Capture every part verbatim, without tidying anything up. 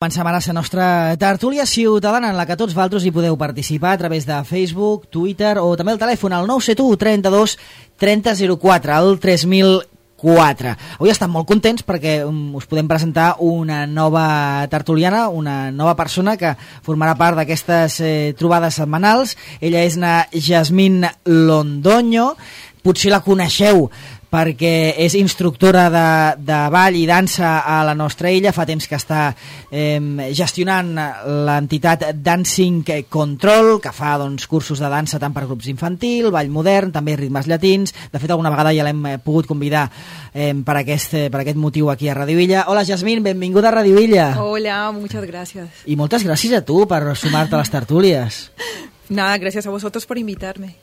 Comencem ara la nostra tertúlia ciutadana en la que tots vosaltres hi podeu participar a través de Facebook, Twitter o també el telèfon al nou set u trenta-dos trenta zero quatre, al tres mil quatre. Avui estem molt contents perquè um, us podem presentar una nova tertuliana, una nova persona que formarà part d'aquestes eh, trobades setmanals. Ella és na Yasmín Londoño, potser la coneixeu perquè és instructora de, de ball i dansa a la nostra illa. Fa temps que està eh, gestionant l'entitat Dancing Control, que fa doncs, cursos de dansa tant per grups infantil, ball modern, també ritmes llatins. De fet, alguna vegada ja l'hem pogut convidar eh, per, aquest, per aquest motiu aquí a Radio Illa. Hola, Yasmín, benvinguda a Radio Illa. Hola, muchas gracias. I moltes gràcies a tu per sumar-te a les tertúlies. Nada, gracias a vosotros por invitarme.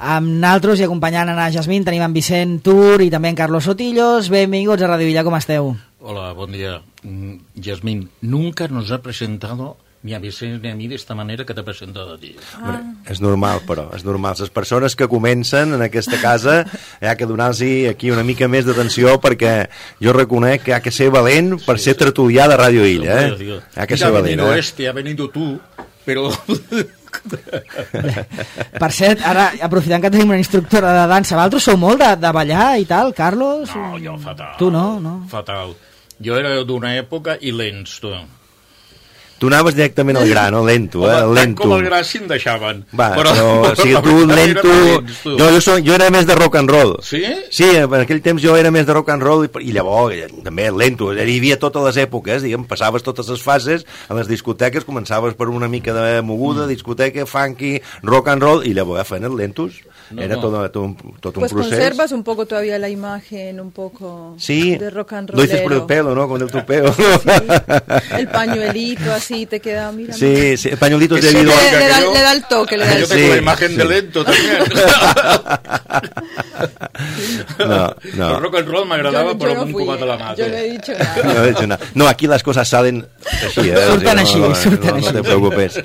Amb naltros i acompanyant a Yasmín tenim en Vicent Tur i també en Carlos Sotillos. Benvinguts a Radio Villa, com esteu? Hola, buen día. Yasmín, nunca nos ha presentado ni a Vicent ni a mí de esta manera que t'ha presentat a ti. Ah. Hombre, és normal, però, és normal. Les persones que comencen en aquesta casa hi ha que donar-los aquí una mica més d'atenció perquè jo reconec que hi ha que ser valent per sí, ser tertulià de Radio Illa, eh? Hi ha que ser valent, eh? Este, ha venido tú, però... Per cert, ara aprofitant que tenim una instructora de dansa, vosaltres sou molt de, de ballar i tal, Carlos? No, jo fatal. Tu no, no? Fatal. Jo era d'una època i lents, tu. Tu anaves directament al gra, no? Lento, eh? Home, lento. Com el gra si em deixaven. Va, però, però, però o sigui, tu lento... Lents, tu. Jo, jo, soc, jo era més de rock and roll. Sí? Sí, en aquell temps jo era més de rock and roll i, i llavors, també lento. Hi havia totes les èpoques, diguem, passaves totes les fases, a les discoteques començaves per una mica de moguda, mm. discoteca, funky, rock and roll, i llavors feien els lentos. No, era no. Todo, todo, un, todo pues un proceso. Pues conservas un poco todavía la imagen, un poco sí, de rock and roll. Lo dices por el pelo, ¿no? Con el tupeo. Sí, el pañuelito así te queda, mira. Sí, sí, el pañuelito es debido le, le, da, le da el toque, le da el yo tengo sí, la imagen sí. de lento también. No, no. El rock and roll m'agradava, però no amb un cubat a la mà. Yo no he dicho nada. No, he dicho nada. No, aquí las cosas salen así, ¿eh? Surten así, no, no, surten no, así. No te preocupes.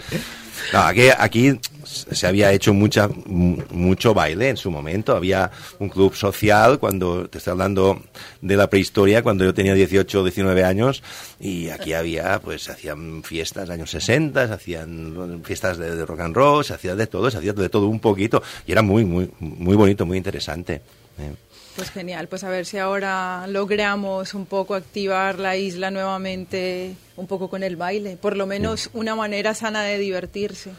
No, aquí, aquí se había hecho mucha, mucho baile en su momento. Había un club social, cuando te estoy hablando de la prehistoria, cuando yo tenía dieciocho o diecinueve años, y aquí había, pues, se hacían fiestas años sesenta, se hacían fiestas de, de rock and roll, se hacía de todo, se hacía de todo un poquito, y era muy, muy, muy bonito, muy interesante. Eh. Pues genial, pues a ver si ahora logramos un poco activar la isla nuevamente, un poco con el baile, por lo menos una manera sana de divertirse.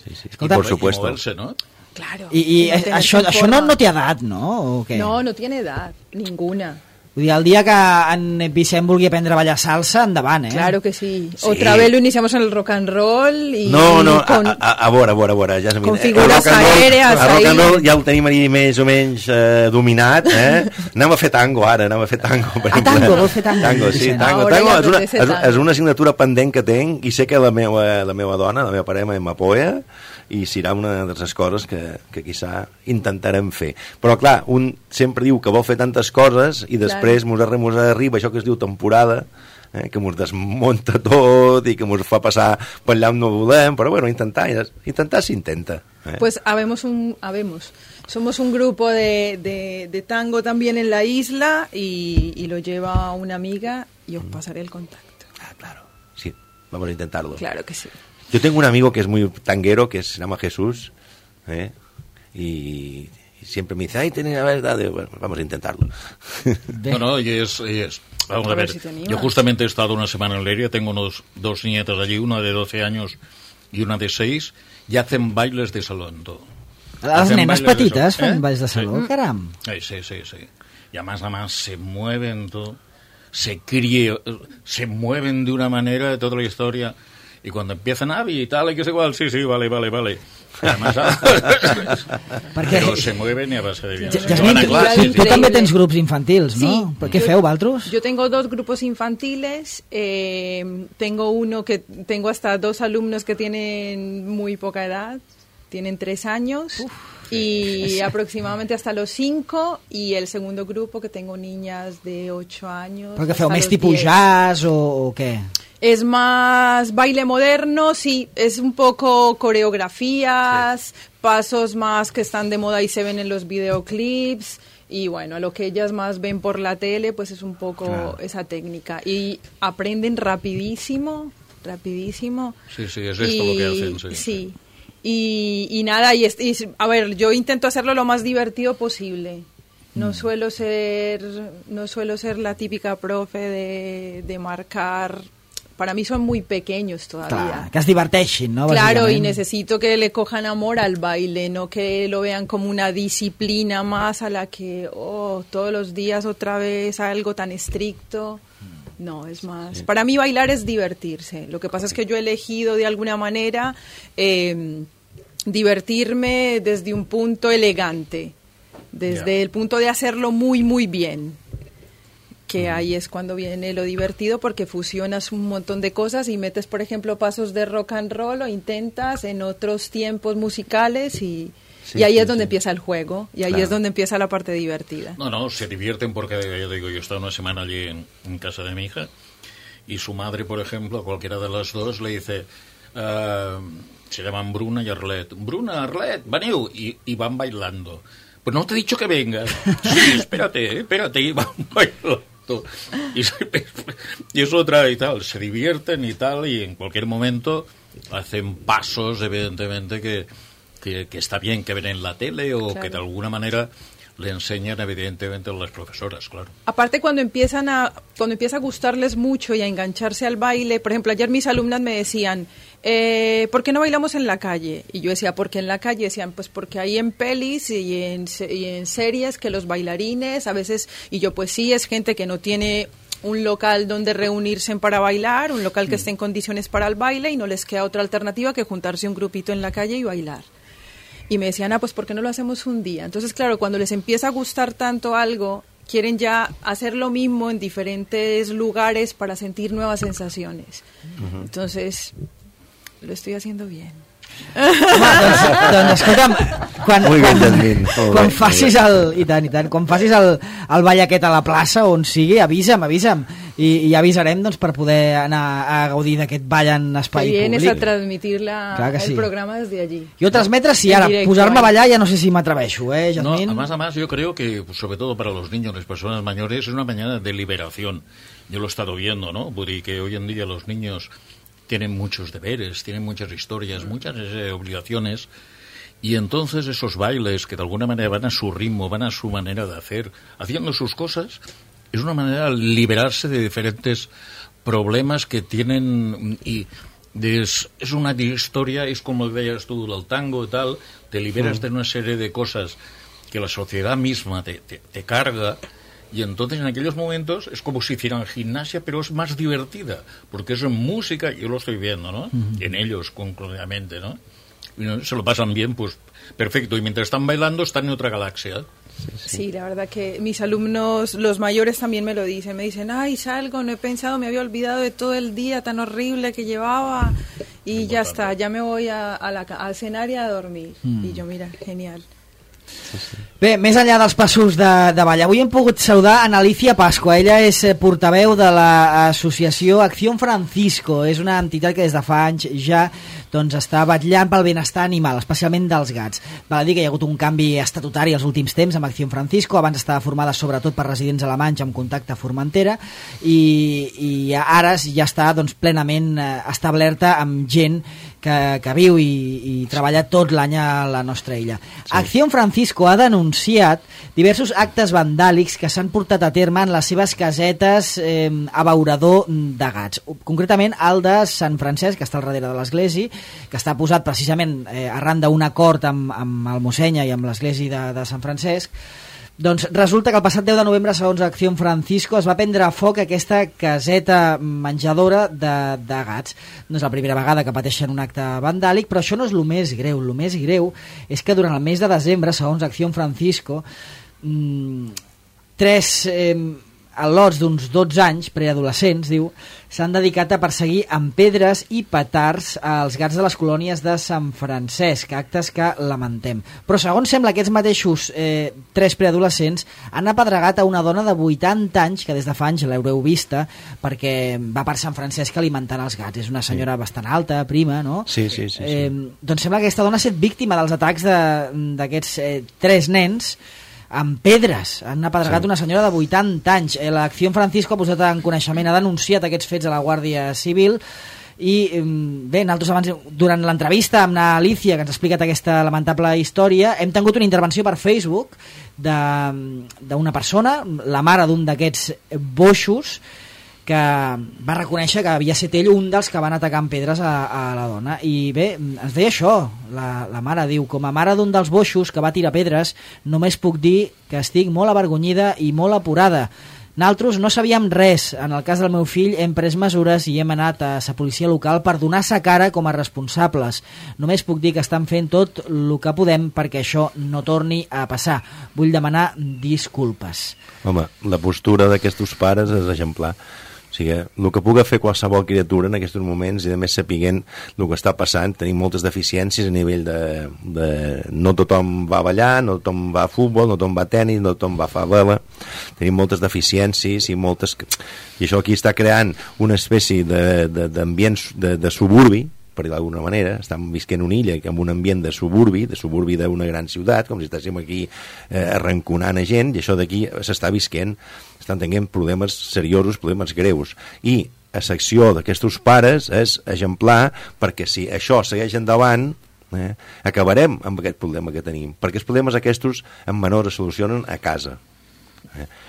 Sí, sí. Escolta, y por supuesto. Moverse, ¿no? Claro. I, i això, això no, no té edat, no? O què? No, no tiene edad, ninguna. Vull dir, el dia que en Vicent vulgui aprendre a ballar salsa, endavant, eh? Claro que sí. sí. Otra vez lo iniciamos en el rock and roll y... No, no, con, a, a, a veure, a veure, a veure, ja con figures aèrees. El rock and roll ja el tenim més o menys eh, dominat, eh? Anem a fer tango ara, anem a fer tango. Per a tango, vol fer tango. Tango, sí, tango. Ahora tango és, una, és, tango. és una assignatura pendent que tenc i sé que la meva, la meva dona, la meva parella m'apoya i serà una de les coses que, que quizà intentarem fer. Però clar, un sempre diu que vol fer tantes coses i després mos claro. arriba això que es diu temporada, eh, que mos desmunta tot i que mos fa passar per allà on no volem, però bueno, intentar, intentar s'intenta. Eh? Pues habemos un, habemos. Somos un grupo de, de, de tango también en la isla y, y lo lleva una amiga y os pasaré el contacto. Ah, claro, sí, vamos a intentarlo. Claro que sí. Yo tengo un amigo que es muy tanguero, que se llama Jesús, ¿eh? y, y siempre me dice, ay, tenés la verdad, de... bueno, vamos a intentarlo. No, no, y es, y es... Vamos a, a ver, ver si yo justamente he estado una semana en Leria, tengo unos, dos nietas allí, una de doce años y una de seis, y hacen bailes de salón, todo. Las nenas petitas fan ¿Eh? bailes de salón, sí. Caram. Sí, sí, sí, sí. Y además, además se mueven todo, se críe, se mueven de una manera de toda la historia. Y cuando empiezan a y tal, y que es igual, sí, sí, vale, vale, vale. Además, però se mueven y a base de bien. Yasmín, tu, tu, tu també tens grups infantils, ¿no? Sí. ¿Pero qué feu, vosaltres? Yo tengo dos grupos infantiles, eh, tengo uno que tengo hasta dos alumnos que tienen muy poca edad, tienen tres años. Uf. Y aproximadamente hasta los cinco, y el segundo grupo que tengo niñas de ocho años. ¿Pero que feu més tipus jazz o, o qué? Es más baile moderno, sí, es un poco coreografías, sí. Pasos más que están de moda y se ven en los videoclips, y bueno, lo que ellas más ven por la tele, pues es un poco claro. Esa técnica, y aprenden rapidísimo. rapidísimo. Sí, sí, es esto y, lo que hacen. Sí. sí. Y, y nada, y, y, a ver, yo intento hacerlo lo más divertido posible. No mm. suelo ser no suelo ser la típica profe de, de marcar. Para mí son muy pequeños todavía. Clar, que es diverteixin, ¿no? Claro, y necesito que le cojan amor al baile, no que lo vean como una disciplina más a la que, oh, todos los días otra vez algo tan estricto. No, es más. Sí. Para mí bailar es divertirse. Lo que pasa es que yo he elegido de alguna manera eh, divertirme desde un punto elegante, desde yeah. el punto de hacerlo muy, muy bien. Que ahí es cuando viene lo divertido, porque fusionas un montón de cosas y metes, por ejemplo, pasos de rock and roll o intentas en otros tiempos musicales y, sí, y ahí sí, es donde sí. empieza el juego y ahí claro. es donde empieza la parte divertida. No, no, se divierten porque, yo digo, yo estaba una semana allí en, en casa de mi hija y su madre, por ejemplo, a cualquiera de las dos le dice, uh, se llaman Bruna y Arlet, Bruna, Arlet, veniu, y, y van bailando. Pues no te he dicho que vengas. Sí, espérate, espérate, y van bailando. Y, y es otra y tal, se divierten y tal, y en cualquier momento hacen pasos, evidentemente, que, que, que está bien que ven en la tele o claro. que de alguna manera le enseñan, evidentemente, a las profesoras, claro. Aparte, cuando empiezan a cuando empieza a gustarles mucho y a engancharse al baile, por ejemplo, ayer mis alumnas me decían, eh, ¿por qué no bailamos en la calle? Y yo decía, ¿por qué en la calle? Decían, pues porque hay en pelis y en, y en series que los bailarines a veces, y yo pues sí, es gente que no tiene un local donde reunirse para bailar, un local que esté en condiciones para el baile y no les queda otra alternativa que juntarse un grupito en la calle y bailar. Y me decían, ah, pues ¿por qué no lo hacemos un día? Entonces, claro, cuando les empieza a gustar tanto algo, quieren ya hacer lo mismo en diferentes lugares para sentir nuevas sensaciones. Uh-huh. Entonces, lo estoy haciendo bien. Home, doncs, doncs escolta'm, quan, quan, quan facis el i tant, i tant, quan facis el, el ball aquest a la plaça on sigui, avisa'm, avisa'm i, i ja avisarem doncs, per poder anar a gaudir d'aquest ball en espai que vienes públic. A transmitir la, sí. el programa desde allí. Jo transmetre, sí, ara posar-me a ballar ja no sé si m'atreveixo, eh, Jasmine? No, además, además yo creo que, sobre todo para los niños, las personas mayores, es una mañana de liberación. Yo lo he estado viendo, ¿no? Porque hoy en día los niños tienen muchos deberes, tienen muchas historias, muchas eh, obligaciones, y entonces esos bailes que de alguna manera van a su ritmo, van a su manera de hacer, haciendo sus cosas, es una manera de liberarse de diferentes problemas que tienen, y es, es una historia, es como veías tú el tango y tal, te liberas de una serie de cosas que la sociedad misma te, te, te carga. Y entonces en aquellos momentos es como si hicieran gimnasia, pero es más divertida, porque es música, yo lo estoy viendo, ¿no? Uh-huh. En ellos, concretamente, ¿no? Y ¿no? Se lo pasan bien, pues perfecto, y mientras están bailando están en otra galaxia. Sí, sí. Sí, la verdad que mis alumnos, los mayores también me lo dicen, me dicen, ay, salgo, no he pensado, me había olvidado de todo el día tan horrible que llevaba, y Importante. Ya está, ya me voy a, a la, al escenario a dormir. Mm. Y yo, mira, genial. Sí, sí. Bé, més enllà dels passos de, de ball, avui hem pogut saludar a Alicia Pascua. Ella és portaveu de l'associació Acción Francisco. És una entitat que des de fa anys ja doncs, està vetllant pel benestar animal, especialment dels gats. Val a dir que hi ha hagut un canvi estatutari els últims temps amb Acción Francisco. Abans estava formada sobretot per residents alemanys amb contacte a Formentera i, i ara ja està doncs, plenament establerta amb gent que, que viu i, i treballa tot l'any a la nostra illa. Sí. Acción Francisco ha denunciat diversos actes vandàlics que s'han portat a terme en les seves casetes eh, abeurador de gats. Concretament el de Sant Francesc, que està al darrere de l'església, que està posat precisament eh, arran d'un acord amb, amb el Mossenya i amb l'església de, de Sant Francesc. Doncs resulta que el passat deu de novembre, segons Acción Francisco, es va prendre a foc aquesta caseta menjadora de, de gats. No és la primera vegada que pateixen un acte vandàlic, però això no és el més greu. El més greu és que durant el mes de desembre, segons Acción Francisco, mmm, tres eh, al·lots d'uns dotze anys, preadolescents, diu, s'han dedicat a perseguir amb pedres i petards als gats de les colònies de Sant Francesc, actes que lamentem. Però segons sembla, aquests mateixos eh, tres preadolescents han apedregat a una dona de vuitanta anys, que des de fa anys l'haureu vista, perquè va per Sant Francesc alimentant els gats. És una senyora sí. bastant alta, prima, no? Sí, sí, sí. sí. Eh, doncs sembla que aquesta dona ha estat víctima dels atacs d'aquests eh, tres nens amb pedres. Han apedregat sí. una senyora de vuitanta anys. L'Acció Francisco ha posat en coneixement, ha denunciat aquests fets a la Guàrdia Civil I bé, nosaltres abans, durant l'entrevista amb l'Alicia, que ens ha explicat aquesta lamentable història, hem tingut una intervenció per Facebook d'una persona, la mare d'un d'aquests boixos, que va reconèixer que havia estat ell un dels que van atacar amb pedres a, a la dona. I bé, ens deia això, la, la mare diu: com a mare d'un dels boixos que va tirar pedres, només puc dir que estic molt avergonyida i molt apurada. Nosaltres no sabíem res. En el cas del meu fill hem pres mesures i hem anat a la policia local per donar-se cara com a responsables. Només puc dir que estan fent tot el que podem perquè això no torni a passar. Vull demanar disculpes. Home, la postura d'aquests pares és exemplar. O sigui, el que pugui fer qualsevol criatura en aquests moments, i a més sapiguent el que està passant, tenim moltes deficiències a nivell de, de... no tothom va a ballar, no tothom va a futbol, no tothom va a tenis, no tothom va a fer vela. Tenim moltes deficiències i moltes... I això aquí està creant una espècie d'ambient de, de, de, de suburbi, per dir d'alguna manera. Estem visquent una illa amb un ambient de suburbi, de suburbi d'una gran ciutat, com si estéssim aquí eh, arranconant a gent, i això d'aquí s'està visquent, estan tenint problemes seriosos, problemes greus. I la secció d'aquests pares és exemplar, perquè si això segueix endavant, eh, acabarem amb aquest problema que tenim, perquè els problemes aquests en menor es solucionen a casa.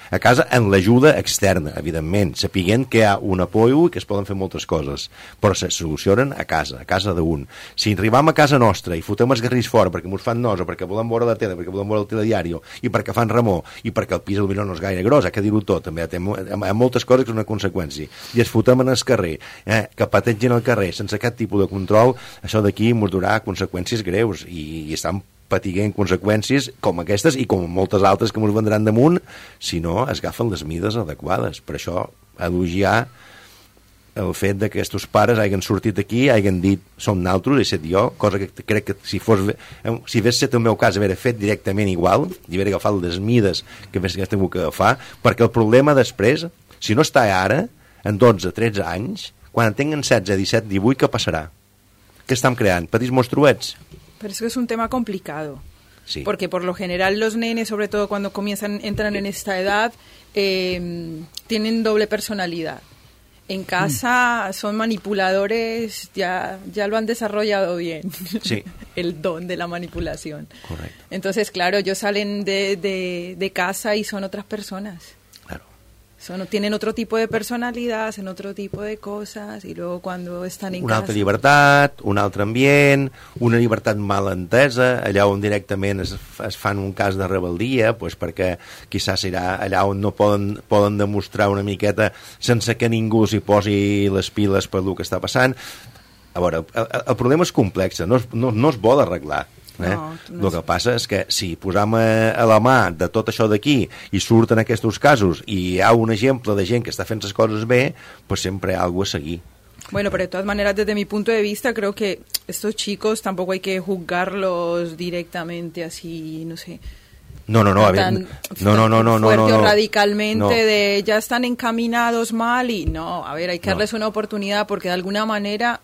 A casa en l'ajuda externa, evidentment, sapiguent que hi ha un apoyo i que es poden fer moltes coses, però se solucionen a casa, a casa d'un. Si arribam a casa nostra i fotem els garrís fora perquè mos fan nosa, perquè volem veure la tele, perquè volem veure el telediari, i perquè fan remor, i perquè el pis potser no és gaire gros, ha que dir-ho tot, també hi ha moltes coses que és una conseqüència, i es fotem en el carrer, eh, que pategen al carrer sense cap tipus de control, això d'aquí mos durà conseqüències greus, i, i estan patiguent conseqüències com aquestes i com moltes altres que ens vendran damunt si no es agafen les mides adequades. Per això elogiar el fet de que aquests pares hagin sortit aquí, hagin dit som naltros, he set jo, cosa que crec que si fos, si hagués set el meu cas haver fet directament igual i haver agafat les mides que hagués tingut que agafar, perquè el problema després, si no està ara, en dotze tretze anys, quan en tengan setze, disset, divuit, què passarà? Què estem creant? Petits monstruets? Pero es que es un tema complicado, sí. Porque por lo general los nenes, sobre todo cuando comienzan, entran en esta edad, eh, tienen doble personalidad. En casa mm. son manipuladores, ya, ya lo han desarrollado bien, sí. El don de la manipulación. Correcto. Entonces, claro, ellos salen de, de, de casa y son otras personas. Son, tienen otro tipo de personalidad, hacen otro tipo de cosas, y luego cuando están en una casa... Una altra llibertat, un altre ambient, una llibertat mal entesa, allà on directament es, es fan un cas de rebel·lia, pues perquè quizás serà allà on no poden, poden demostrar una miqueta sense que ningú s'hi posi les piles per el que està passant. A veure, el, el problema és complex, no, no, no es vol arreglar. Eh? No, no el que passa és que si posam a, a la mà de tot això d'aquí i surten aquests casos i hi ha un exemple de gent que està fent les coses bé, pues sempre hi ha alguna a seguir. Bueno, pero de todas maneras, desde mi punto de vista, creo que estos chicos tampoco hay que juzgarlos directamente así, no sé... No, no, no, a ver, tan, no, no, no, no, no, fuerte no, no, o radicalmente no. de ya están encaminados mal y no, a ver, hay que no. darles una oportunidad porque de alguna manera...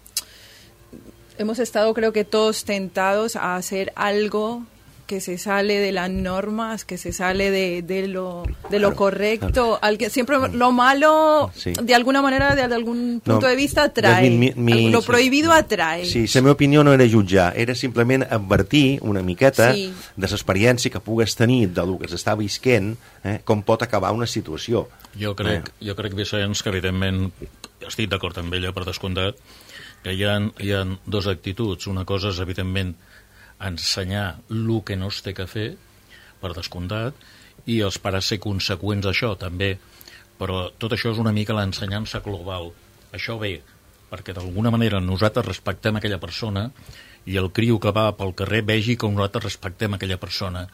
Hemos estado, creo que todos tentados a hacer algo que se sale de las normas, que se sale de, de, lo, de lo correcto. Claro. Siempre lo malo, sí. De alguna manera, de algún punto no, de vista, atrae. Mi, mi, lo prohibido atrae. Sí, la meva opinió no era jutjar, era simplement advertir una miqueta sí. de l'experiència que pugues tenir del que s'està visquent, eh, com pot acabar una situació. Jo crec, eh. jo crec Vicenç, que evidentment estic d'acord amb ella, per descomptat, que hi ha, hi ha dues actituds. Una cosa és, evidentment, ensenyar el que no es té que fer, per descomptat, i els pares ser conseqüents d'això, també. Però tot això és una mica l'ensenyança global. Això ve, perquè d'alguna manera nosaltres respectem aquella persona i el criu que va pel carrer vegi com nosaltres respectem aquella persona.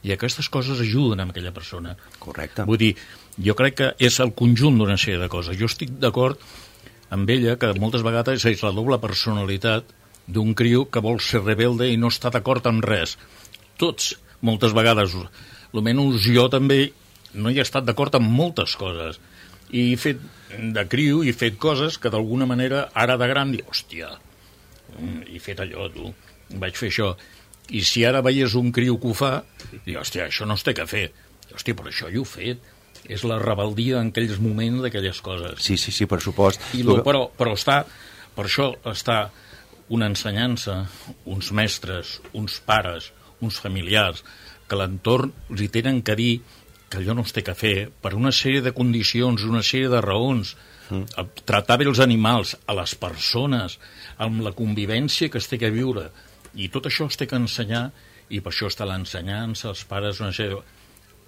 I aquestes coses ajuden a aquella persona. Correcte. Vull dir, jo crec que és el conjunt d'una sèrie de coses. Jo estic d'acord amb ella, que moltes vegades és la doble personalitat d'un criu que vol ser rebelde i no està d'acord amb res. Tots, moltes vegades, almenys jo també no hi he estat d'acord amb moltes coses. I he fet de criu i he fet coses que d'alguna manera ara de gran dic, hòstia, he fet allò, tu, vaig fer això. I si ara veies un criu que ho fa, dic, hòstia, això no es té que fer. Hòstia, però això jo ho he fet. És la rebeldia en aquells moments d'aquelles coses. Sí, sí, sí, per supost. I lo, però, però està... Per això està una ensenyança, uns mestres, uns pares, uns familiars, que l'entorn li tenen que dir que allò no es té que fer per una sèrie de condicions, una sèrie de raons, mm. tratar bé els animals, a les persones, amb la convivència que es té que viure, i tot això es té que ensenyar, i per això està l'ensenyança, els pares, una sèrie de...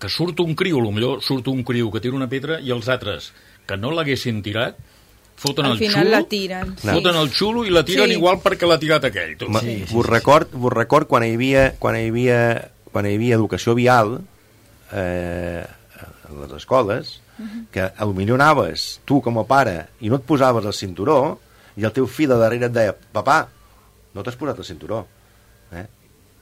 que surt un criu, potser surt un criu que tira una pedra i els altres que no l'haguessin tirat foten al el final xulo, la tiren, sí. foten el xulo i la tiren sí. igual perquè l'ha tirat aquell. Tot. Sí, sí, vos, sí, record, sí. vos record quan hi havia, quan hi havia, quan hi havia educació vial eh, a les escoles, uh-huh. que potser anaves tu com a pare i no et posaves el cinturó i el teu fill de darrere et deia papà, no t'has posat el cinturó. Eh?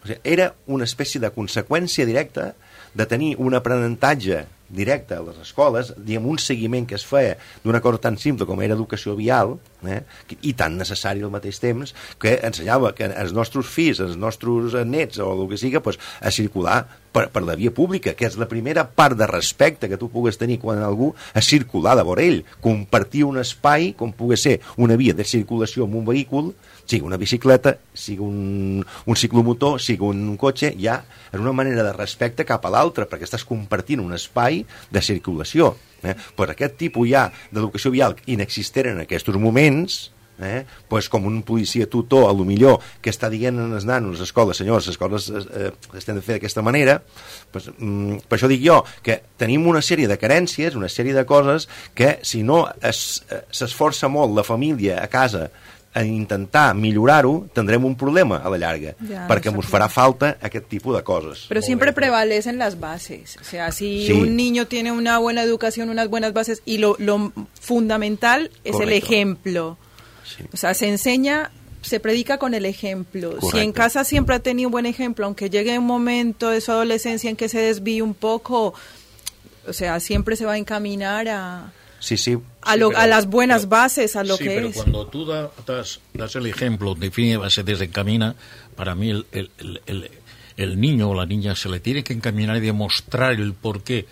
O sigui, era una espècie de conseqüència directa de tenir un aprenentatge directe a les escoles, diguem, un seguiment que es feia d'una cosa tan simple com era educació vial, eh, i tan necessari al mateix temps, que ensenyava que els nostres fills, els nostres nets o el que siga, pues, a circular per, per la via pública, que és la primera part de respecte que tu pugues tenir quan algú a circular de vora ell, compartir un espai com pugui ser una via de circulació amb un vehicle, sigui una bicicleta, sigui un, un ciclomotor, sigui un cotxe, ja és una manera de respecte cap a l'altre, perquè estàs compartint un espai de circulació. Eh? Pues aquest tipus ja d'educació vial inexistent en aquests moments, eh? pues com un policia tutor, a lo millor, que està dient als nanos, les escoles, senyors, les escoles eh, estem de fer d'aquesta manera, pues, mm, per això dic jo, que tenim una sèrie de carències, una sèrie de coses que si no s'esforça molt la família a casa a intentar millorar-ho, tendrem un problema a la llarga, ya, perquè ens farà falta aquest tipus de coses. Pero siempre prevalecen las bases. O sea, si sí. un niño tiene una buena educación, unas buenas bases, y lo, lo fundamental es Correcto. El ejemplo. Sí. O sea, se enseña, se predica con el ejemplo. Correcto. Si en casa siempre ha tenido un buen ejemplo, aunque llegue un momento de su adolescencia en que se desvíe un poco, o sea, siempre se va a encaminar a... Sí, sí. A, lo, sí, pero, a las buenas pero, bases, a lo sí, que pero es. Cuando tú da, das, das el ejemplo, define, se desencamina, para mí el, el, el, el, el niño o la niña se le tiene que encaminar y demostrar el por qué,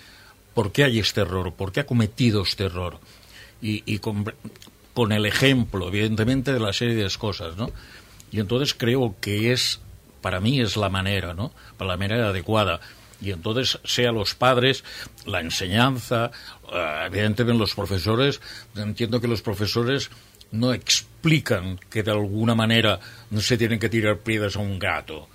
por qué hay este error, por qué ha cometido este error. Y, y con, con el ejemplo, evidentemente, de la serie de cosas, ¿no? Y entonces creo que es, para mí es la manera, ¿no? Para la manera adecuada. Y entonces, sea los padres, la enseñanza, uh, evidentemente los profesores, entiendo que los profesores no explican que de alguna manera no se tienen que tirar piedras a un gato.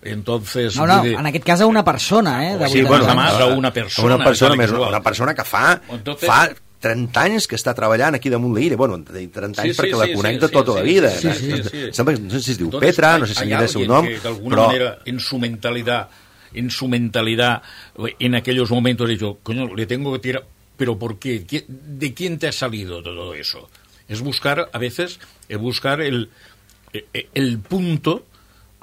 Entonces, no, no, de... en aquest cas a una persona, eh? De sí, bueno, más a una persona. Una persona, més, una persona que fa, entonces, fa trenta anys que està treballant aquí damunt l'Illa. Bueno, trenta anys sí, sí, perquè la conec de sí, tota sí, la vida. Sí, sí, sí, sí. No sé si es diu entonces, Petra, no sé si mira el seu nom, que, de alguna però... manera, en su mentalidad... en su mentalidad en aquellos momentos he dicho, coño, le tengo que tirar, pero ¿por qué? ¿De quién te ha salido todo eso? Es buscar, a veces, es buscar el, el punto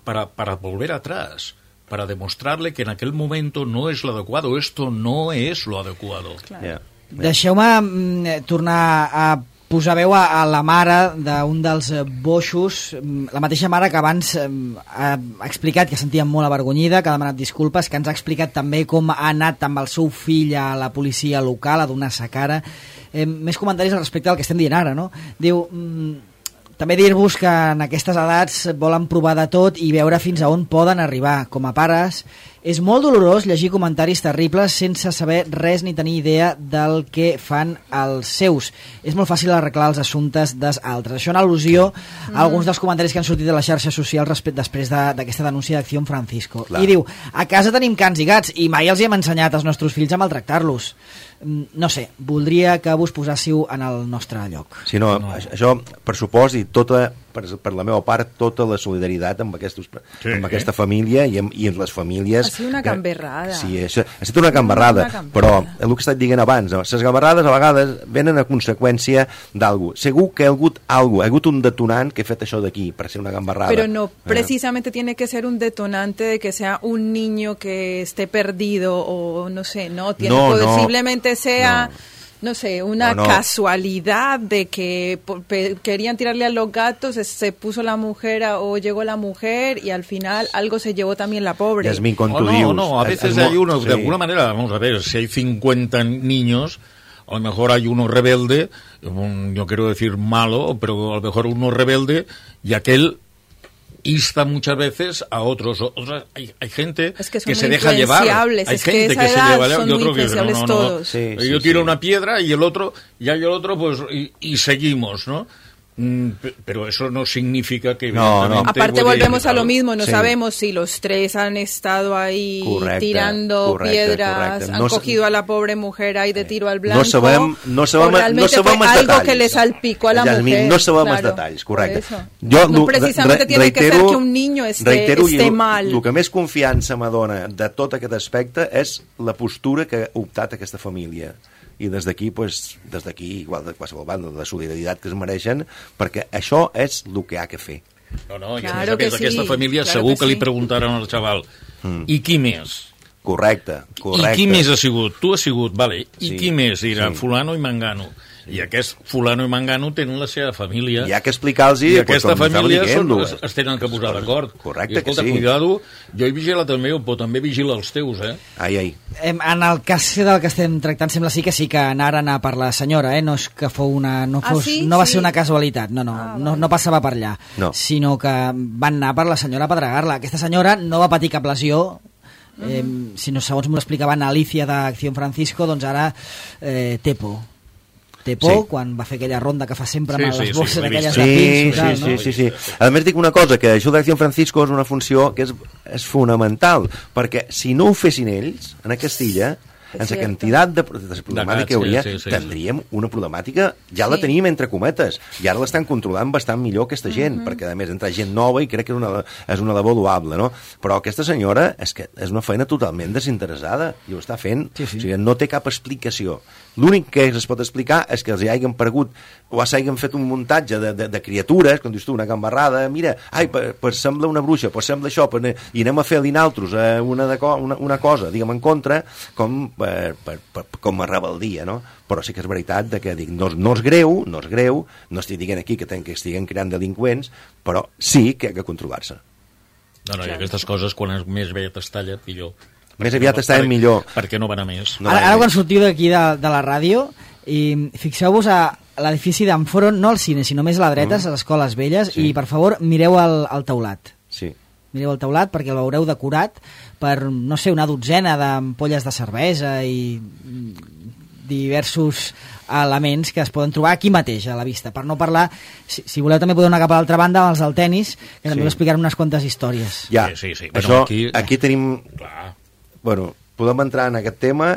para, para volver atrás, para demostrarle que en aquel momento no es lo adecuado, esto no es lo adecuado. Claro. Yeah. Deixeu-me tornar a posar veu a, a la mare d'un dels boixos, la mateixa mare que abans eh, ha explicat que sentia molt avergonyida, que ha demanat disculpes, que ens ha explicat també com ha anat amb el seu fill a la policia local a donar sa cara. Eh, més comentaris al respecte del que estem dient ara, no? Diu... Mm, també dir-vos que en aquestes edats volen provar de tot i veure fins a on poden arribar. Com a pares, és molt dolorós llegir comentaris terribles sense saber res ni tenir idea del que fan els seus. És molt fàcil arreglar els assumptes dels altres. Això en al·lusió a alguns dels comentaris que han sortit de les xarxes socials després d'aquesta denúncia d'Acció Francisco. Clar. I diu, a casa tenim cans i gats i mai els hi hem ensenyat als nostres fills a maltractar-los. No sé, voldria que vos posássiu en el nostre lloc. Sí, no, no. Això, per supost, i tota, per, per la meva part, tota la solidaritat amb, aquestos, sí, amb aquesta eh? família i amb, i amb les famílies... Ha sigut una gamberrada. Sí, això, ha estat una gamberrada, una gamberrada, però el que he estat dient abans, les gamberrades a vegades venen a conseqüència d'algú. Segur que hi ha hagut algú, hi ha hagut un detonant que ha fet això d'aquí, per ser una gamberrada. Pero no, precisamente eh? tiene que ser un detonante de que sea un niño que esté perdido o no sé, no, tiene no, posiblemente no, sea... No. No sé, una no, no. casualidad de que pe- querían tirarle a los gatos, se, se puso la mujer a, o llegó la mujer y al final algo se llevó también la pobre. Yasmín, con oh, no, no, a veces es, hay unos, sí. de alguna manera, vamos a ver, si hay cincuenta niños, a lo mejor hay uno rebelde, un, yo quiero decir malo, pero a lo mejor uno rebelde y aquel insta muchas veces a otros. otros hay, hay gente es que, que se deja llevar. Hay es gente que, que se lleva. Son yo muy creo que no, no, no. Todos. Sí, sí, yo tiro sí. una piedra y el otro, ya y el otro, pues, y, y seguimos, ¿no? Pero eso no significa que no, no. aparte volvemos a lo mismo, no sí. sabemos si los tres han estado ahí correcte, tirando correcte, piedras, correcte. No han cogido a la pobre mujer ahí de tiro al blanco, no sabem, no sabem, o realmente no sabem fue algo detalls. Que le salpicó a la Jasmine, mujer. No sabem claro, els detalls, correcte. Jo, no precisamente re, tiene reitero, que ser que un niño esté, reitero, esté el, mal. El que més confiança m'adona de tot aquest aspecte és la postura que ha optat aquesta família. I des d'aquí, pues, des d'aquí, igual de qualsevol banda, de solidaritat que es mereixen, perquè això és el que ha que fer. No, no, i claro a més a més sí, aquesta família claro segur que, que li sí. preguntaran al xaval mm. i qui més? Correcte, correcte. I qui més ha sigut? Tu has sigut, vale. I sí, qui més? Dirà sí. fulano i mangano. I aquest fulano i mangano tenen la seva família. Hi ha que explicar-los... I aquesta pues, família són, es, es tenen que posar d'acord. Correcte, I, escolta, que sí. cuidado, jo he vigilat el meu, però també vigila els teus, eh? Ai, ai. En el cas del que estem tractant sembla sí que sí que anaren a per la senyora, eh? No és que fou una... No, fos, ah, sí? no va sí. ser una casualitat, no, no, ah, no, no passava per allà, no. sinó que van anar per la senyora a pedregar-la. Aquesta senyora no va patir cap lesió, eh, uh-huh. si no, segons m'ho explicaven Alicia d'Acción Francisco, doncs ara eh, té por. Té por sí. quan va fer aquella ronda que fa sempre amb sí, les sí, bosses sí, aquelles sí, de pins. Sí, tal, sí, no? sí, sí, sí. A més dic una cosa, que això d'Acció Francisco és una funció que és, és fonamental, perquè si no ho fessin ells, en aquesta illa, en la quantitat de, de problemàtica que hauria, sí, sí, sí, tindríem una problemàtica, ja sí. la teníem entre cometes, i ara l'estan controlant bastant millor aquesta gent, uh-huh. perquè a més entra gent nova i crec que és una, és una labor loable, no? Però aquesta senyora és que és una feina totalment desinteressada, i ho està fent, sí, sí. O sigui, no té cap explicació. L'únic que es pot explicar és que els hi hagin paregut o s'hagin fet un muntatge de, de, de criatures, com dius tu, una gambarrada, mira, ai, per, per sembla una bruixa, per sembla això, per, i anem a fer-li naltros eh, una, de, una, una cosa, diguem, en contra, com, per, per, per, com a rebeldia, no? Però sí que és veritat de que dic, no, no és greu, no és greu, no estic dient aquí que, ten, que estiguen creant delinqüents, però sí que ha de controlar-se. No, no, i aquestes coses, quan més bé es talla, millor. Més aviat no, estàvem millor. Perquè no van a més. No ara, ara quan sortiu d'aquí de, de la ràdio, i fixeu-vos a l'edifici d'Amforo, no al cine, sinó més a la dreta, mm. a les escoles velles, sí. I per favor mireu el, el teulat. Sí. Mireu el teulat perquè el veureu decorat per, no sé, una dotzena d'ampolles de cervesa i diversos elements que es poden trobar aquí mateix a la vista. Per no parlar, si, si voleu també podeu anar cap a l'altra banda amb els del tennis, que també sí. Explicaran unes quantes històries. Ja, sí, sí, sí. Això, bueno, aquí... aquí tenim... Clar. Bueno, podem entrar en aquest tema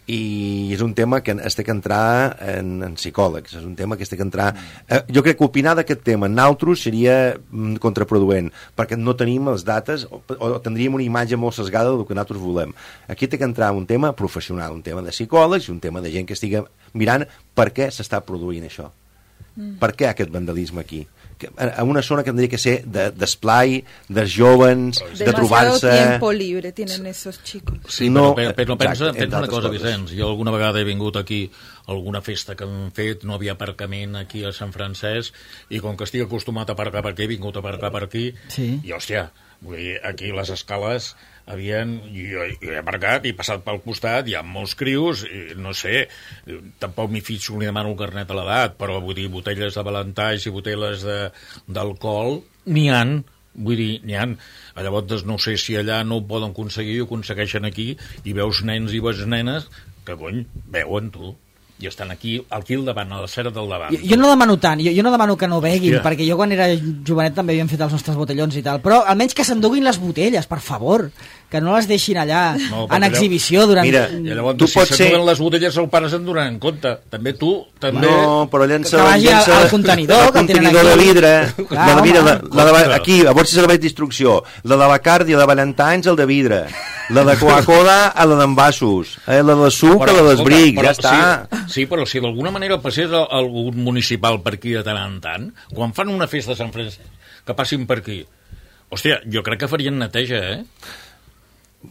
i és un tema que es té que entrar en, en psicòlegs, és un tema que es té que entrar... Eh, jo crec que opinar d'aquest tema en altres seria mm, contraproduent, perquè no tenim les dates o, o tindríem una imatge molt sesgada del que nosaltres volem. Aquí té que entrar un tema professional, un tema de psicòlegs i un tema de gent que estigui mirant per què s'està produint això. Mm. Per què aquest vandalisme aquí? En una zona que tendría que ser d'esplai, de, dels jóvens, de, de trobar-se... Demasiado tiempo libre tienen esos chicos. Sí, no, però, però pensa, pensa una cosa, Vicenç. Jo alguna vegada he vingut aquí a alguna festa que hem fet, no havia aparcament aquí a Sant Francesc, i com que estic acostumat a aparcar per aquí, he vingut a aparcar per aquí, sí. I, hòstia, vull dir, aquí les escales havien, jo, jo he aparcat i he passat pel costat, hi ha molts crios, i, no sé, tampoc m'hi fixo ni demano el carnet a l'edat, però vull dir, botelles de Valentais i botelles d'alcohol, n'hi han, vull dir, n'hi han. Llavors no sé si allà no ho poden aconseguir, ho aconsegueixen aquí, i veus nens i veus nenes que, cony, veuen tu. I estan aquí, aquí al davant, a la cera del davant. Jo, jo no demano tant, jo, jo no demano que no beguin, hòstia. Perquè jo quan era jovenet també havíem fet els nostres botellons i tal, però almenys que s'enduguin les botelles, per favor, que no les deixin allà no, en exhibició durant... Mira, i llavors, tu si pots s'enduguen ser... les botelles, el pare se'n donaran en compte. També tu, també... No, però llença... Que vagi al, al contenidor, el contenidor de vidre. Clar, la de vidre la, la de, aquí, a veure si serveix d'instrucció. La de Bacardi, la de Valentines, el de vidre. La de Coca-Cola, a la d'envasos. Eh, la de suc, a la dels brics, ja està. Sí, sí, però si d'alguna manera passés algun municipal per aquí de tant en tant, quan fan una festa a Sant Francesc, que passin per aquí, hòstia, jo crec que farien neteja, eh?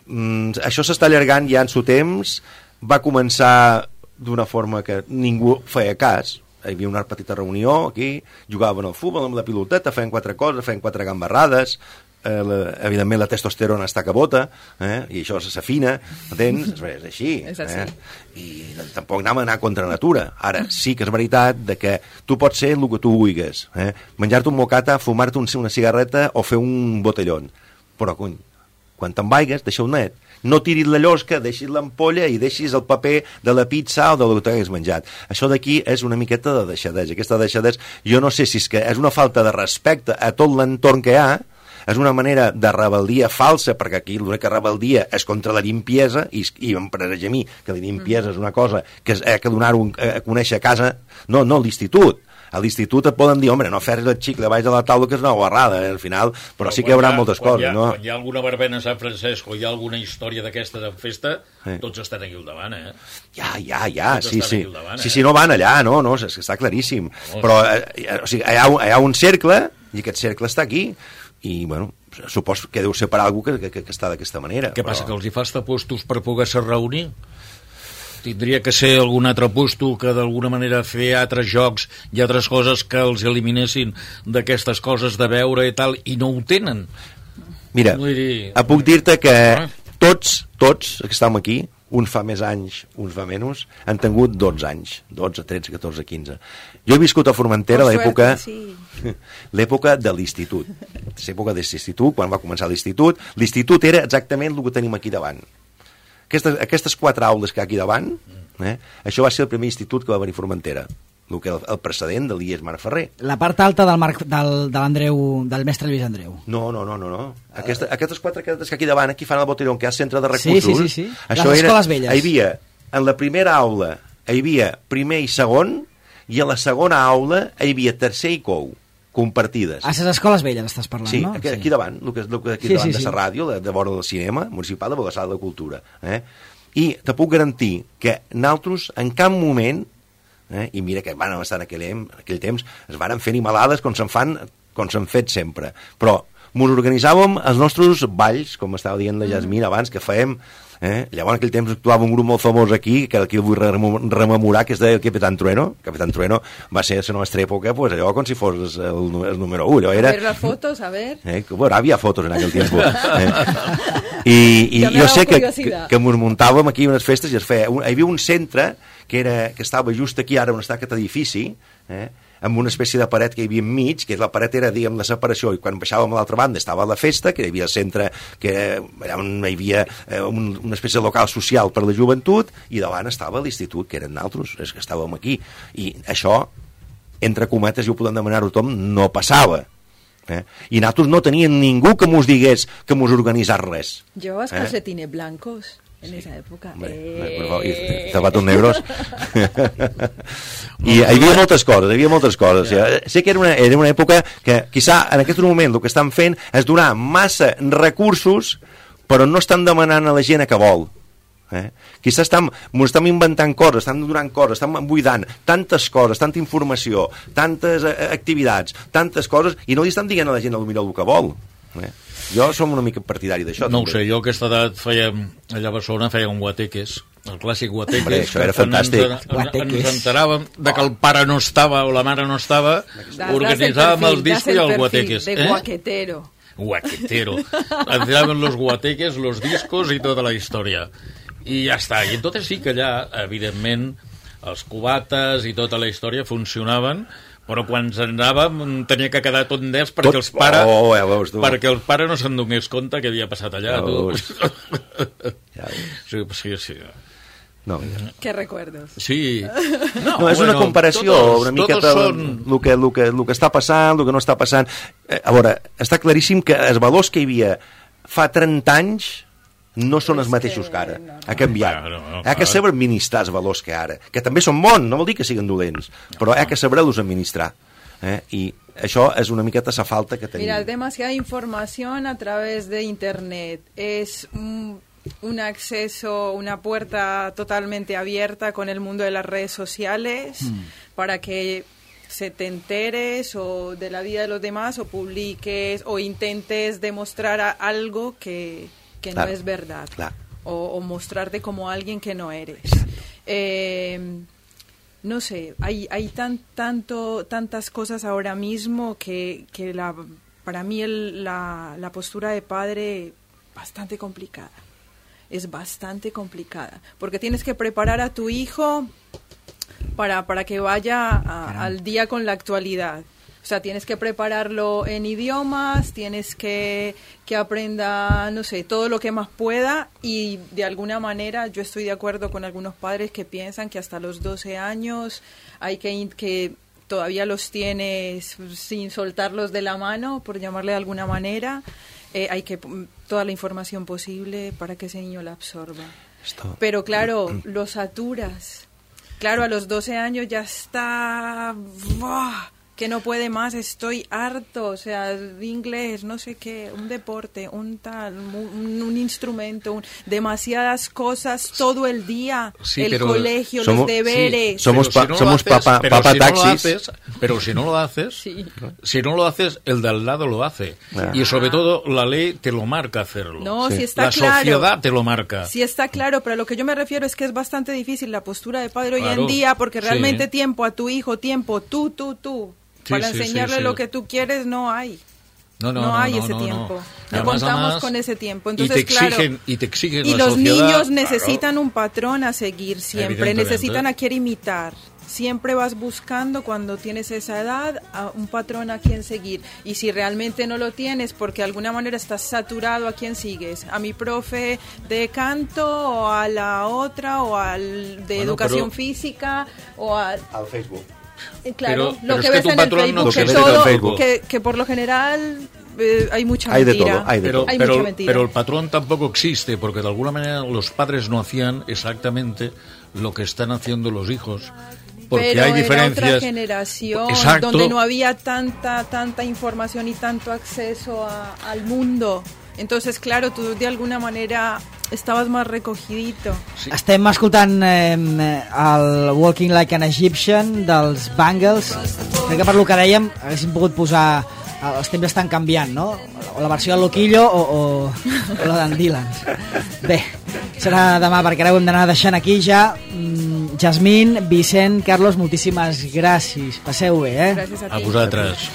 Mm, això s'està allargant ja en su temps. Va començar d'una forma que ningú feia cas. Hi havia una petita reunió aquí, jugaven al futbol amb la piloteta, feien quatre coses, feien quatre gambarrades, eh, la, evidentment la testosterona està que bota, eh, i això s'afina, entens? És així. És així. Eh? I tampoc anem a anar contra natura. Ara, sí que és veritat de que tu pots ser el que tu vulguis, eh? Menjar-te un mocata, fumar-te una cigarreta o fer un botellón. Però, cony, quan te'n vaigues, deixa-ho net. No tiris la llosca, deixis l'ampolla i deixis el paper de la pizza o del que t'hagués menjat. Això d'aquí és una miqueta de deixadesa. Aquesta deixadesa, jo no sé si és que és una falta de respecte a tot l'entorn que hi ha, és una manera de rebel·lia falsa, perquè aquí l'única rebel·lia és contra la limpiesa, i, i em pareix a mi que la limpiesa és una cosa que ha que donar-ho a conèixer a casa, no, no a l'institut. A l'institut et poden dir, home, no fer el xicle baix de la taula, que és una guarrada, eh, al final, però, però sí que hi haurà ha, moltes coses, ha, no? Quan hi ha alguna verbena a Sant Francesc o hi ha alguna història d'aquesta de festa, sí. Tots estan aquí al davant, eh? Ja, ja, ja, tots sí, sí. Davant, sí, eh? sí, no van allà, no, no, és que està claríssim. Oh, però, eh, o sigui, hi ha, hi ha un cercle, i aquest cercle està aquí, i, bueno, suposo que deu ser per algú que, que, que està d'aquesta manera. Què però... passa, que els hi fas tapostos per poder-se reunir? Tindria que ser algun altre puesto que d'alguna manera fer altres jocs i altres coses que els eliminessin d'aquestes coses de veure i tal, i no ho tenen. Mira, dir... puc dir-te que tots, tots que estem aquí, uns fa més anys, uns fa menys, han tingut dotze anys, dotze, tretze, catorze, quinze. Jo he viscut a Formentera a l'època sí. l'època de l'institut. L'època de l'institut, quan va començar l'institut. L'institut era exactament el que tenim aquí davant. Aquestes, aquestes quatre aules que hi ha aquí davant, eh, això va ser el primer institut que va venir a Formentera, el, que el, el precedent de l'I E S Marc Ferrer. La part alta del, Marc, del, de l'Andreu, del mestre Lluís Andreu. No, no, no, no. no. Aquesta, aquestes quatre que aquí davant, aquí fan el botellón, que hi ha centre de recursos. Sí, sí, sí. sí. Això Les era, escoles velles. Hi havia, en la primera aula, hi havia primer i segon, i a la segona aula hi havia tercer i cou, compartides. A les escoles velles estàs parlant, sí, no? Aquí, sí, aquí davant, el que, el que aquí sí, davant sí, de sí. la ràdio, de, de vora del cinema municipal de Balassar de la Cultura. Eh? I te puc garantir que nosaltres en cap moment, eh, i mira que van estar en aquell, en aquell temps, es van fer animalades com se'n fan, com s'han fet sempre, però ens organitzàvem els nostres balls, com estava dient la Jasmine abans, que fèiem, eh? Llavors en aquell temps actuava un grup molt famós aquí, que aquí el vull rememorar, que es deia el Capitán Trueno. Capitán Trueno va ser a la nostra època, pues, allò com si fos el, el número u. Allò era... A ver las fotos, a ver... Eh? Bueno, havia fotos en aquell temps. Eh? I, i jo sé que, que, que ens muntàvem aquí unes festes i es feia, un, hi havia un centre que, era, que estava just aquí ara on està aquest edifici, eh, amb una espècie de paret que hi havia enmig, que la paret era, diguem, la separació, i quan baixàvem a l'altra banda estava la festa, que hi havia el centre, que era, allà on hi havia eh, un, una espècie de local social per la joventut, i davant estava l'institut, que eren naltros, és que estàvem aquí. I això, entre cometes, i ho podem demanar a tothom, no passava. Eh? I nosaltres no teníem ningú que mos digués que mos organitzés res. Llevabas eh? calcetines blancos en esa época. Hombre, eh... por favor, y zapatos negros. I hi havia moltes coses, hi havia moltes coses. Yeah. Sé que era una, era una època que, quizà, en aquest moment el que estan fent és donar massa recursos, però no estan demanant a la gent que vol. Eh? Quizà estem, estem inventant coses, estem donant coses, estem buidant tantes coses, tanta informació, tantes eh, activitats, tantes coses, i no li estan dient a la gent el millor el que vol. Eh? Jo som una mica partidari d'això. No també. ho sé, jo a aquesta edat fèiem, allà a Barcelona fèiem guateques, el clàssic guateques. Hombre, això era fantàstic. Ens, ens, ens enteràvem de que el pare no estava o la mare no estava, Das, organitzàvem das el, el disco i el guateques. De eh? guaquetero. Guaquetero. Entraven los guateques, los discos i tota la història. I ja està. I entonces sí que allà, evidentment, els cubates i tota la història funcionaven, però quan ens anàvem tenia que quedar tot d'ells perquè, tot... els pare, oh, ja veus, perquè el pare no se'n donés compte que havia passat allà. Ja tu. Ja sí, sí, sí. No. Qué recuerdos. Sí. No, no és bueno, una comparació todos, una miqueta són... el que, el, que, el que està passant, el que no està passant. Eh, a veure, està claríssim que els valors que hi havia fa trenta anys no són els mateixos que ara. Ha canviat. No, no, ha que saber administrar els valors que ara, que també són bons, no vol dir que siguin dolents, però ha que saber-los administrar. Eh? I això és una miqueta la falta que tenim. Mira, demasiada información a través de internet. Es un, un acceso, una puerta totalmente abierta con el mundo de las redes sociales mm. para que se te enteres o de la vida de los demás o publiques o intentes demostrar a algo que... que claro, no es verdad, claro. o, o mostrarte como alguien que no eres. Eh, no sé, hay, hay tan, tanto, tantas cosas ahora mismo que, que la para mí el, la, la postura de padre bastante complicada. Es bastante complicada, porque tienes que preparar a tu hijo para, para que vaya a, al día con la actualidad. O sea, tienes que prepararlo en idiomas, tienes que, que aprenda, no sé, todo lo que más pueda, y de alguna manera yo estoy de acuerdo con algunos padres que piensan que hasta los doce años hay que, que todavía los tienes sin soltarlos de la mano, por llamarle de alguna manera. Eh, hay que toda la información posible para que ese niño la absorba. Esto. Pero claro, lo saturas. Claro, a los doce años ya está... ¡buah! Que no puede más, estoy harto, o sea, inglés, no sé qué, un deporte, un tal, un, un instrumento, un, demasiadas cosas todo el día, sí, el colegio, somos, los deberes. Sí, somos pa, si no somos haces, papa, pero papa si taxis. No haces, pero si no lo haces, sí. si no lo haces, el de al lado lo hace. Ah. Y sobre todo la ley te lo marca hacerlo. No, sí. si está la claro. La sociedad te lo marca. Sí está claro, pero a lo que yo me refiero es que es bastante difícil la postura de padre claro. hoy en día, porque realmente sí. tiempo a tu hijo, tiempo, tú, tú, tú. Sí, para sí, enseñarle sí, sí. lo que tú quieres no hay. No, no, no, no hay no, ese no, tiempo. No, no. no contamos además, con ese tiempo. Entonces, y te exigen, claro, y te exigen y la los sociedad, niños necesitan claro. un patrón a seguir siempre, necesitan a quien imitar. Siempre vas buscando cuando tienes esa edad a un patrón a quien seguir. Y si realmente no lo tienes, porque de alguna manera estás saturado, ¿a quién sigues? ¿A mi profe de canto o a la otra o al de bueno, educación pero... física o al... al Facebook? Claro, pero, lo pero que es ves que en el Facebook, no que, todo, Facebook. Que, que por lo general eh, hay mucha hay mentira. De todo, hay de pero, todo. Hay pero, mucha mentira. Pero el patrón tampoco existe, porque de alguna manera los padres no hacían exactamente lo que están haciendo los hijos. Porque pero hay diferencias. Era otra generación Exacto. donde no había tanta tanta información y tanto acceso a, al mundo. Entonces, claro, tú de alguna manera estaves més recogidito. Sí. Estem escoltant eh, el Walking Like an Egyptian dels Bangles. Crec que per lo que dèiem haguéssim pogut posar... Els temps estan canviant, no? O la versió de Loquillo o, o, o la d'en Dylan. Bé, serà demà perquè ara ho hem d'anar deixant aquí ja. Mm, Jasmine, Vicent, Carlos, moltíssimes gràcies. Passeu bé, eh? Gràcies a ti. A vosaltres.